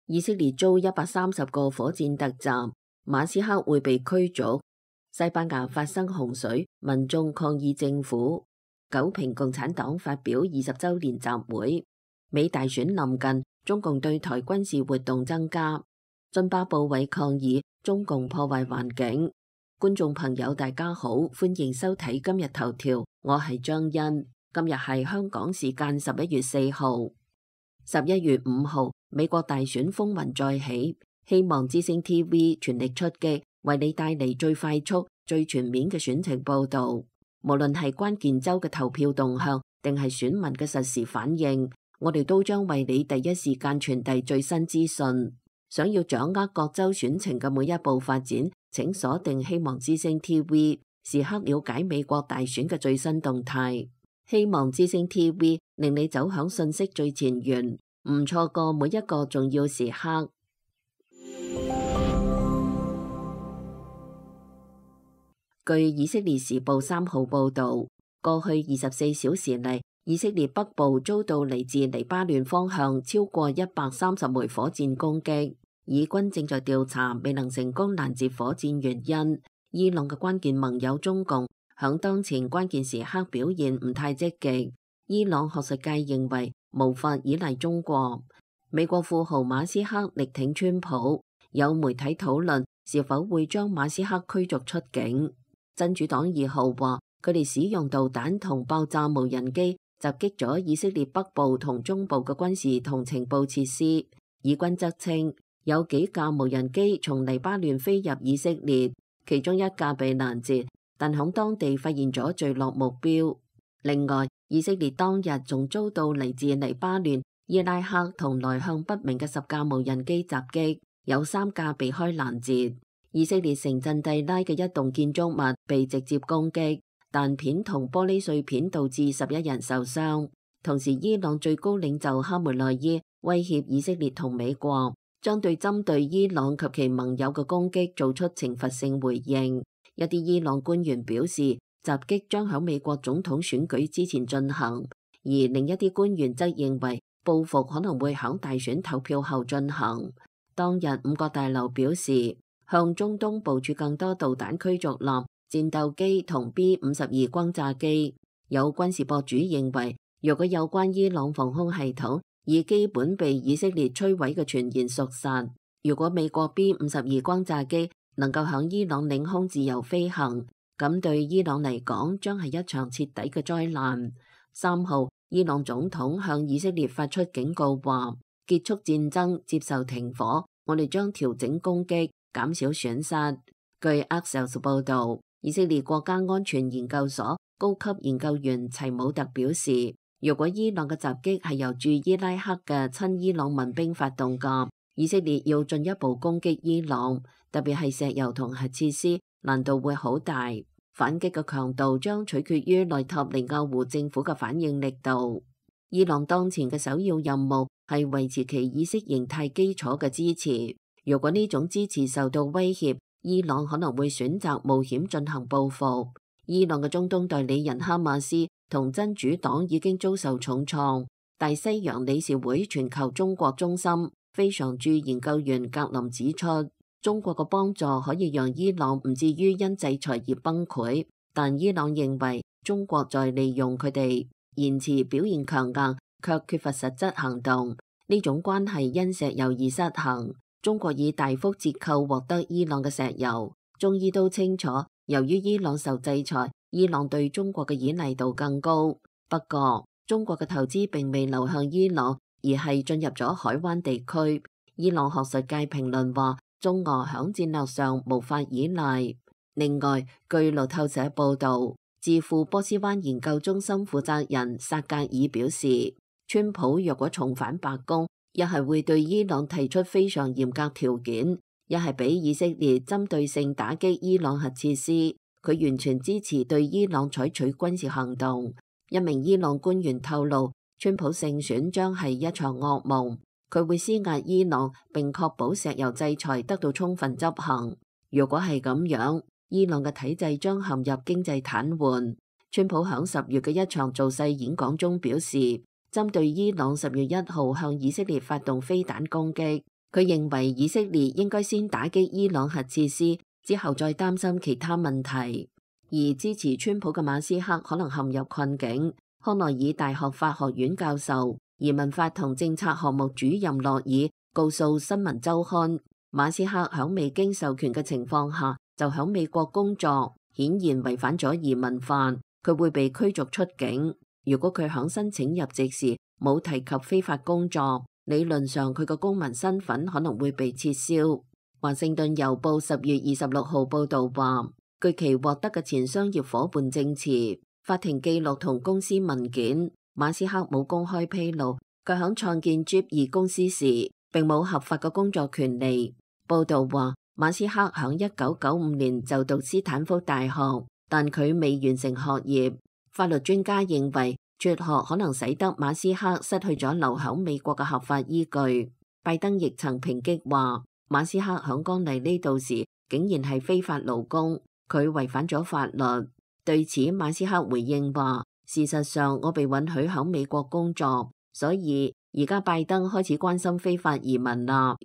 以色列遭130個火箭突襲，馬斯克會被驅逐。西班牙發生洪水，民眾抗議政府。九評共產黨發表20週年集會。美大選臨近，中共對台軍事活動增加。津巴布韋抗議中共破壞環境。觀眾朋友大家好，歡迎收睇今日頭條，我係張欣。今日係香港時間11月4號。11月5號，美國大選風雲再起，希望之聲 TV 全力出擊，為你帶嚟最快速、最全面嘅選情報導。無論係關鍵州嘅投票動向，定係選民嘅實時反應，我哋都將為你第一時間傳遞最新資訊。想要掌握各州選情嘅每一步發展，請鎖定希望之聲 TV， 時刻了解美國大選嘅最新動態。希望之聲 TV 令你走響信息最前沿，唔錯過每一個重要時刻。據以色列時報3號報導，過去24小時嚟，以色列北部遭到嚟自黎巴嫩方向超過130枚火箭攻擊。以軍正在調查未能成功攔截火箭原因。伊朗嘅關鍵盟友中共響當前關鍵時刻表現唔太積極。伊朗學術界認為無法依賴中國。美國富豪馬斯克力挺川普，有媒體討論是否會將馬斯克驅逐出境。真主黨2號話佢哋使用導彈同爆炸無人機襲擊咗以色列北部同中部嘅軍事同情報設施。以軍則稱有幾架無人機從黎巴嫩飛入以色列，其中一架被攔截，但響當地發現咗墜落目標。另外，以色列當日仲遭到嚟自黎巴嫩、伊拉克同來向不明嘅10架無人機襲擊，有3架被開攔截。以色列城鎮蒂拉嘅一棟建築物被直接攻擊，彈片同玻璃碎片導致11人受傷。同時，伊朗最高領袖哈梅內伊威脅以色列同美國，將對針對伊朗及其盟友嘅攻擊做出懲罰性回應。一啲伊朗官員表示，襲擊將喺美國總統選舉之前進行，而另一啲官員則認為報復可能會喺大選投票後進行。當日5角大樓表示，向中東部署更多導彈驅逐艦、戰鬥機同 B-52 轟炸機。有軍事博主認為，若果有關伊朗防空系統已基本被以色列摧毀嘅傳言屬實，如果美國 B-52 轟炸機能夠響伊朗領空自由飛行，咁對伊朗嚟講將係一場徹底嘅災難。3號，伊朗總統向以色列發出警告話，結束戰爭，接受停火，我哋將調整攻擊，減少損失。據 Axios 報導，以色列國家安全研究所高級研究員齊姆特表示，如果伊朗嘅襲擊係由駐伊拉克嘅親伊朗民兵發動嘅，以色列要進一步攻擊伊朗，特別係石油同核設施，難度會好大。反擊嘅強度將取決於內塔尼亞胡政府嘅反應力度。伊朗當前嘅首要任務係維持其意識形態基礎嘅支持。如果呢種支持受到威脅，伊朗可能會選擇冒險進行報復。伊朗嘅中東代理人哈馬斯同真主黨已經遭受重創。大西洋理事會全球中國中心非常駐研究員格林指出，中國嘅幫助可以讓伊朗唔至於因制裁而崩潰，但伊朗認為中國在利用佢哋，言辭表現強硬，卻缺乏實質行動。呢種關係因石油而失衡。中國以大幅折扣獲得伊朗嘅石油。中伊都清楚，由於伊朗受制裁，伊朗對中國嘅依賴度更高。不過，中國嘅投資並未流向伊朗，而係進入咗海灣地區。伊朗學術界評論話，中俄響戰略上無法依賴。另外，據路透社報導，智庫波斯灣研究中心負責人薩格爾表示，川普若果重返白宮，一係會對伊朗提出非常嚴格條件，一係俾以色列針對性打擊伊朗核設施。佢完全支持對伊朗採取軍事行動。一名伊朗官員透露，川普勝選將係一場噩夢。佢會施壓伊朗，並確保石油制裁得到充分執行。如果係咁樣，伊朗嘅體制將陷入經濟癱瘓。川普響10月嘅一場造勢演講中表示，針對伊朗10月1號向以色列發動飛彈攻擊，佢認為以色列應該先打擊伊朗核設施，之後再擔心其他問題。而支持川普嘅馬斯克可能陷入困境。康奈爾大學法學院教授、移民法同政策項目主任洛爾告訴新聞週刊，馬斯克響未經授權嘅情況下就響美國工作，顯然違反咗移民法，佢會被驅逐出境。如果佢響申請入籍時冇提及非法工作，理論上佢嘅公民身份可能會被撤銷。華盛頓郵報10月26號報導話，據其獲得嘅前商業夥伴證詞、法庭記錄同公司文件，馬斯克冇公開披露佢響創建 Jeep 公司時並冇合法嘅工作權利。報導話，馬斯克響1995年就讀斯坦福大學，但佢未完成學業。法律專家認為，輟學可能使得馬斯克失去咗留響美國嘅合法依據。拜登亦曾抨擊話，馬斯克響剛嚟呢度時竟然係非法勞工，佢違反咗法律。對此，馬斯克回應話，事實上我被允許響美國工作，所以而家拜登開始關心非法移民啦。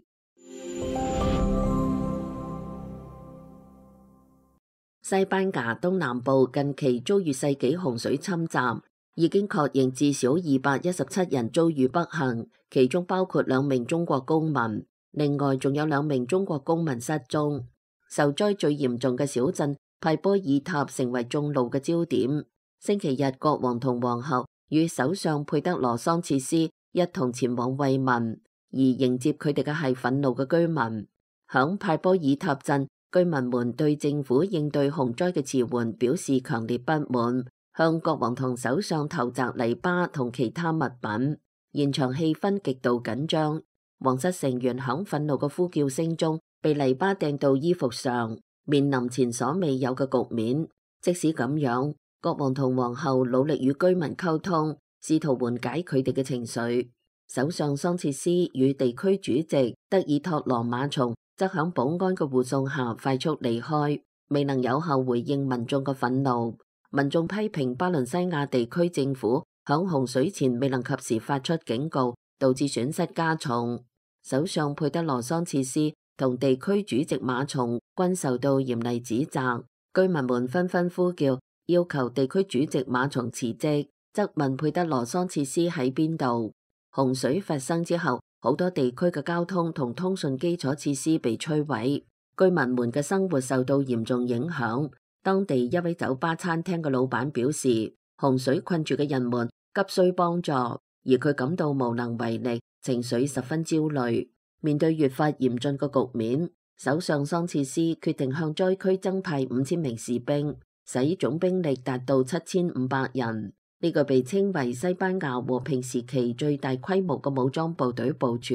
西班牙東南部近期遭遇世紀洪水侵襲，已經確認至少217人遭遇不幸，其中包括2名中國公民，另外仲有2名中國公民失蹤。受災最嚴重嘅小鎮派波爾塔成為眾怒嘅焦點。星期日，國王同皇后與首相佩德羅桑切斯一同前往慰問，而迎接佢哋嘅係憤怒嘅居民。響派波爾塔鎮，居民們對政府應對洪災嘅遲緩表示強烈不滿，向國王同首相投擲泥巴同其他物品，現場氣氛極度緊張。皇室成員響憤怒嘅呼叫聲中被泥巴掟到衣服上，面臨前所未有嘅局面。即使咁樣，國王同皇后努力與居民溝通，試圖緩解佢哋嘅情緒。首相桑切斯與地區主席德爾托羅馬松則響保安嘅護送下快速離開，未能有效回應民眾嘅憤怒。民眾批評巴倫西亞地區政府響洪水前未能及時發出警告，導致損失加重。首相佩德羅桑切斯同地區主席馬松均受到嚴厲指責，居民們紛紛呼叫，要求地區主席馬松辭職，質問佩德羅桑切斯喺邊度。洪水發生之後，好多地區嘅交通同通訊基礎設施被摧毀，居民們嘅生活受到嚴重影響。當地一位酒吧餐廳嘅老闆表示，洪水困住嘅人們急需幫助，而佢感到無能為力，情緒十分焦慮。面對越發嚴峻嘅局面，首相桑切斯決定向災區增派5000名士兵，使總兵力達到7500人。呢個被稱為西班牙和平時期最大規模嘅武裝部隊部署。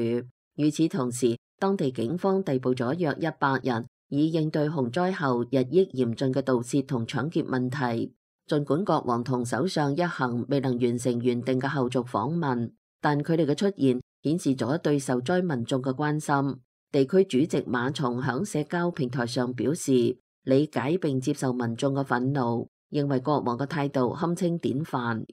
與此同時，當地警方逮捕咗約100人，以應對洪災後日益嚴峻嘅盜竊同搶劫問題。儘管國王同首相一行未能完成原定嘅後續訪問，但佢哋嘅出現顯示咗對受災民眾嘅關心。地區主席馬松響社交平台上表示，理解並接受民眾嘅憤怒，認為國王嘅態度堪稱典範。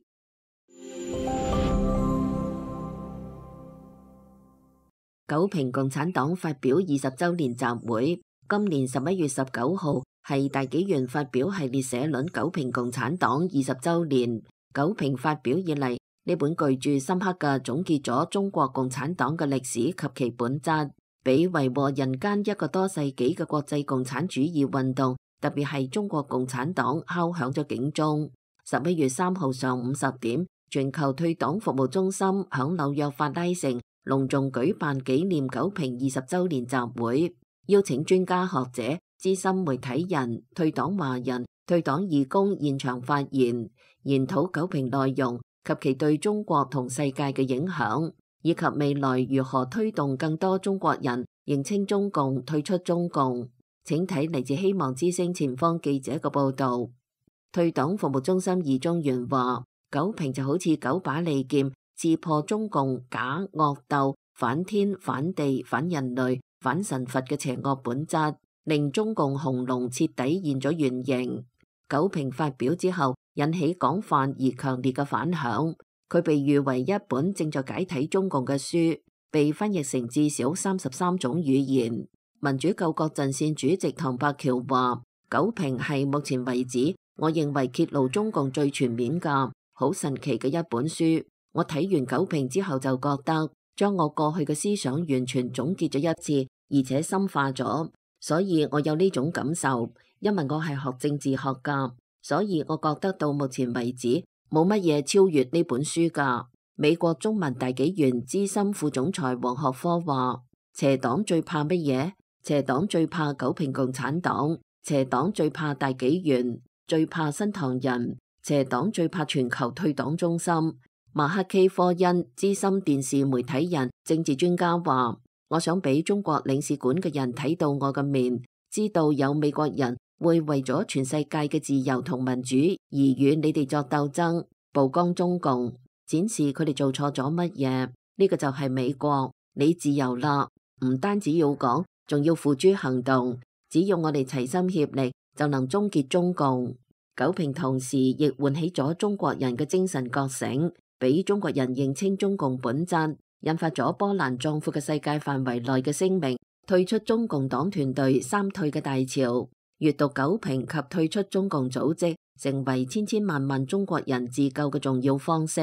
九平共產黨發表20週年集會，今年11月19號係大紀元發表系列社論《九平共產黨20週年》。九平發表以嚟，呢本具著深刻嘅總結咗中國共產黨嘅歷史及其本質，俾維和人間一個多世紀嘅國際共產主義運動，特別係中國共產黨敲響咗警鐘。11月3號上午10點，全球退黨服務中心響紐約法拉盛隆重舉辦紀念九平20週年集會，邀請專家學者、資深媒體人、退黨華人、退黨義工現場發言，研討九平內容及其對中國同世界嘅影響，以及未來如何推動更多中國人認清中共、退出中共。請睇嚟自希望之聲前方記者嘅報導。退黨服務中心二中原話：九平就好似9把利劍，刺破中共假惡鬥、反天、反地、反人類、反神佛嘅邪惡本質，令中共紅龍徹底現咗原形。九平發表之後，引起廣泛而強烈嘅反響。佢被譽為一本正在解體中共嘅書，被翻譯成至少33種語言。民主救國陣線主席唐伯喬話：九評係目前為止我認為揭露中共最全面嘅、好神奇嘅一本書。我睇完九評之後就覺得，將我過去嘅思想完全總結咗一次，而且深化咗。所以我有呢種感受，因為我係學政治學㗎，所以我覺得到目前為止冇乜嘢超越呢本書㗎。美國中文大紀元資深副總裁黃學科話：邪黨最怕乜嘢？邪黨最怕九評共產黨，邪黨最怕大紀元，最怕新唐人，邪黨最怕全球退黨中心。馬克基科恩資深電視媒體人、政治專家話：我想俾中國領事館嘅人睇到我嘅面，知道有美國人會為咗全世界嘅自由同民主而與你哋作鬥爭，曝光中共，展示佢哋做錯咗乜嘢。呢個就係美國，你自由啦，唔單止要講，仲要付諸行動。只要我哋齊心協力，就能終結中共。九評同時亦喚起咗中國人嘅精神覺醒，俾中國人認清中共本質，引發咗波瀾壯闊嘅世界範圍內嘅聲明，退出中共黨團隊三退嘅大潮。閱讀九評及退出中共組織，成為千千萬萬中國人自救嘅重要方式。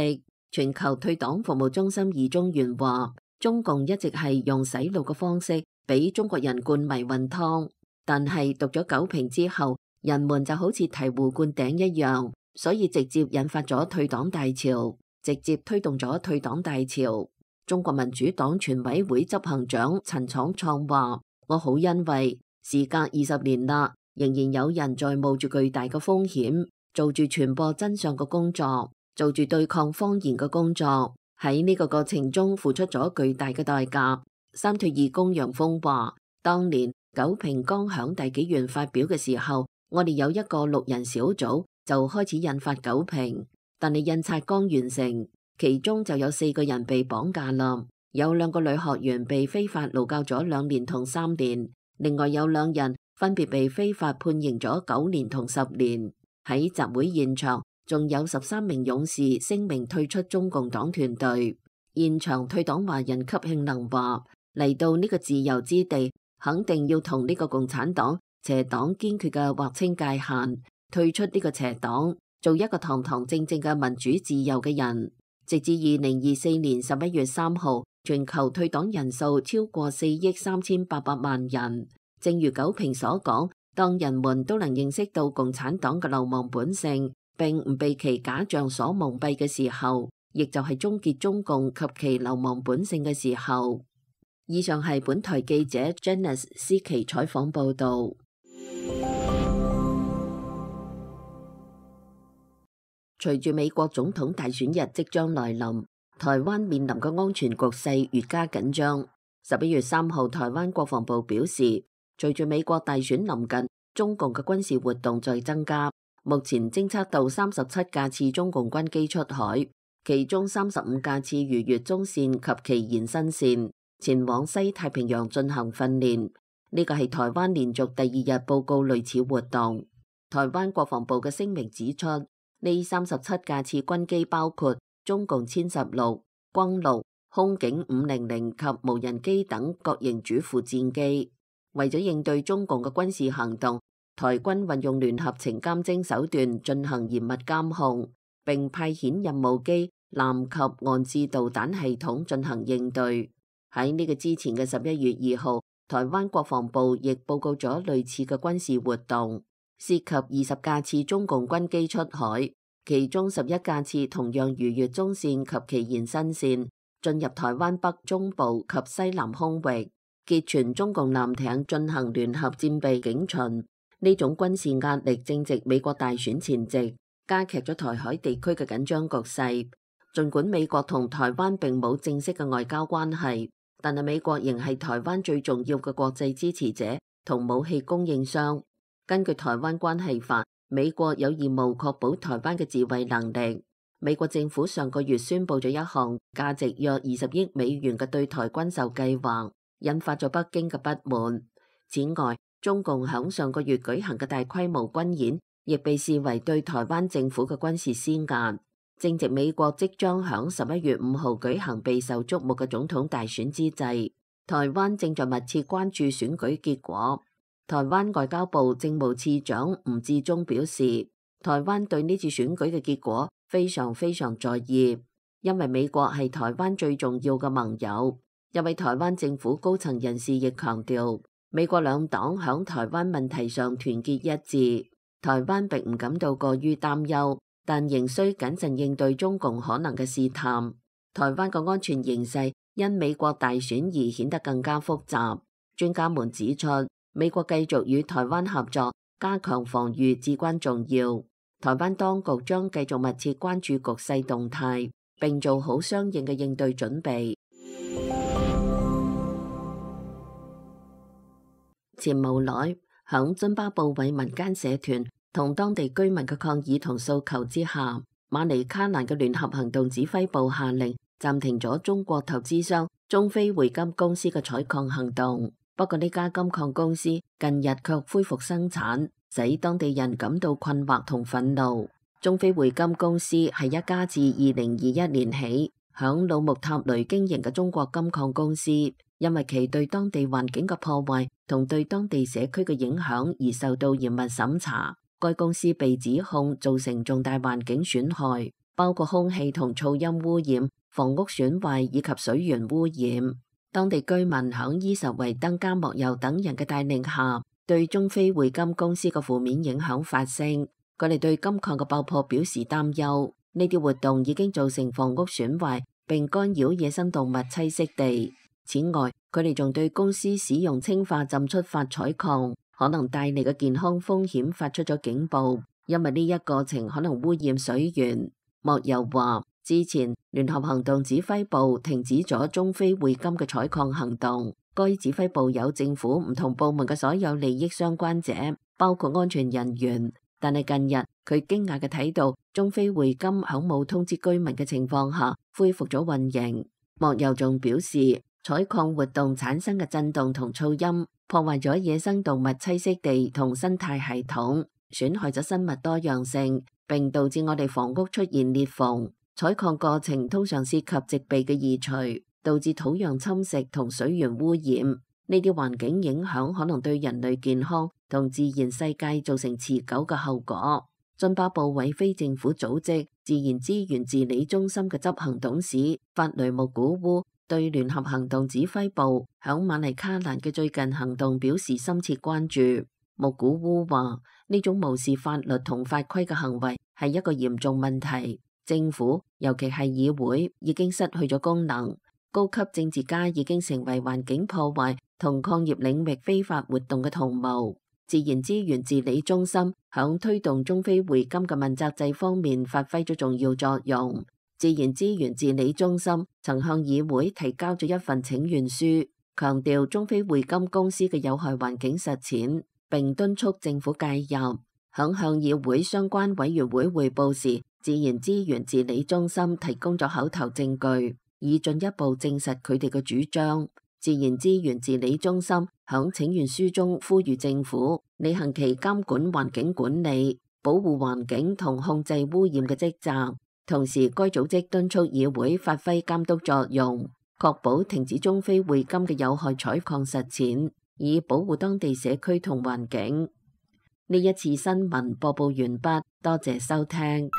全球退黨服務中心二中原話：中共一直係用洗腦嘅方式俾中國人灌迷魂湯，但係讀咗九評之後，人們就好似醍醐灌頂一樣，所以直接引發咗退黨大潮，直接推動咗退黨大潮。中國民主黨全委會執行長陳闖創話：我好欣慰，時隔20年啦，仍然有人在冒住巨大嘅風險，做住傳播真相嘅工作，做住對抗謊言嘅工作，喺呢個過程中付出咗巨大嘅代價。三退義工楊峰話：當年九評剛響大紀元發表嘅時候，我哋有一個6人小組就開始印發九評，但係印刷剛完成，其中就有4個人被綁架啦，有2個女學員被非法勞教咗2年同3年，另外有2人分別被非法判刑咗9年同10年。喺集會現場，仲有13名勇士聲明退出中共黨團隊。現場退黨華人級慶能話：嚟到呢個自由之地，肯定要同呢個共產黨邪黨堅決嘅劃清界限，退出呢個邪黨，做一個堂堂正正嘅民主自由嘅人。直至2024年11月3號，全球退黨人數超過4億3800萬人。正如九評所講，當人們都能認識到共產黨嘅流氓本性，並唔被其假象所蒙蔽嘅時候，亦就係終結中共及其流氓本性嘅時候。以上係本台記者 Janice 思琪採訪報導。隨住美國總統大選日即將來臨，台灣面臨嘅安全局勢越加緊張。11月3號，台灣國防部表示，隨住美國大選臨近，中共嘅軍事活動在增加，目前偵測到37架次中共軍機出海，其中35架次逾越中線及其延伸線，前往西太平洋進行訓練。呢個係台灣連續第2日報告類似活動。台灣國防部嘅聲明指出，呢37架次軍機包括中共殲16、轟6、空警500及無人機等各型主副戰機。為咗應對中共嘅軍事行動，台軍運用聯合情監偵手段進行嚴密監控，並派遣任務機、艦及岸置導彈系統進行應對。喺呢個之前嘅11月2號，台灣國防部亦報告咗類似嘅軍事活動，涉及20架次中共軍機出海，其中11架次同樣逾越中線及其延伸線，進入台灣北中部及西南空域，結傳中共艦艇進行聯合戰備警巡。呢種軍事壓力正值美國大選前夕，加劇咗台海地區嘅緊張局勢。儘管美國同台灣並冇正式嘅外交關係，但係美國仍係台灣最重要嘅國際支持者同武器供應商。根據台灣關係法，美國有義務確保台灣嘅自衛能力。美國政府上個月宣布咗一項價值約20億美元嘅對台軍售計劃，引發咗北京嘅不滿。此外，中共響上個月舉行嘅大規模軍演，亦被視為對台灣政府嘅軍事施壓。正值美國即將響11月5號舉行備受矚目嘅總統大選之際，台灣正在密切關注選舉結果。台灣外交部政務次長吳志忠表示，台灣對呢次選舉嘅結果非常在意，因為美國係台灣最重要嘅盟友。一位台灣政府高層人士亦強調，美國兩黨響台灣問題上團結一致，台灣並唔感到過於擔憂，但仍需謹慎應對中共可能嘅試探。台灣嘅安全形勢因美國大選而顯得更加複雜。專家們指出，美國繼續與台灣合作，加強防禦至關重要。台灣當局將繼續密切關注局勢動態，並做好相應嘅應對準備。前無耐，響津巴布韋民間社團同當地居民嘅抗議同訴求之下，馬尼卡蘭嘅聯合行動指揮部下令暫停咗中國投資商中非匯金公司嘅採礦行動。不過呢家金礦公司近日卻恢復生產，使當地人感到困惑同憤怒。中非匯金公司係一家自2021年起響魯木塔雷經營嘅中國金礦公司，因為其對當地環境嘅破壞同對當地社區嘅影響而受到嚴密審查。該公司被指控造成重大環境損害，包括空氣同噪音污染、房屋損壞以及水源污染。當地居民響伊什維登加莫尤等人嘅帶領下，對中非匯金公司嘅負面影響發聲。佢哋對金礦嘅爆破表示擔憂，呢啲活動已經造成房屋損壞並干擾野生動物棲息地。此外，佢哋仲對公司使用氰化浸出法採礦可能帶嚟嘅健康風險發出咗警報，因為呢一過程可能污染水源。莫尤話，之前聯合行動指揮部停止咗中非匯金嘅採礦行動，該指揮部有政府唔同部門嘅所有利益相關者，包括安全人員。但係近日佢驚訝嘅睇到中非匯金響冇通知居民嘅情況下恢復咗運營。莫尤仲表示，採礦活動產生嘅震動同噪音破壞咗野生動物棲息地同生態系統，損害咗生物多樣性，並導致我哋房屋出現裂縫。採礦過程通常涉及植被嘅移除，導致土壤侵蝕同水源污染。呢啲環境影響可能對人類健康同自然世界造成持久嘅後果。津巴布韋非政府組織自然資源治理中心嘅執行董事法雷穆古烏對聯合行動指揮部響馬尼卡蘭嘅最近行動表示深切關注。穆古烏話，呢種無視法律同法規嘅行為係一個嚴重問題。政府，尤其係議會，已經失去咗功能。高級政治家已經成為環境破壞同礦業領域非法活動嘅同謀。自然資源治理中心響推動中非匯金嘅問責制方面發揮咗重要作用。自然資源治理中心曾向議會提交咗一份請願書，強調中非匯金公司嘅有害環境實踐，並敦促政府介入。響向議會相關委員會匯報時，自然資源治理中心提供咗口頭證據，以進一步證實佢哋嘅主張。自然資源治理中心響請願書中呼籲政府履行其監管環境管理、保護環境同控制污染嘅職責。同時，該組織敦促議會發揮監督作用，確保停止中非匯金嘅有害採礦實踐，以保護當地社區同環境。呢一次新聞播報完畢，多謝收聽。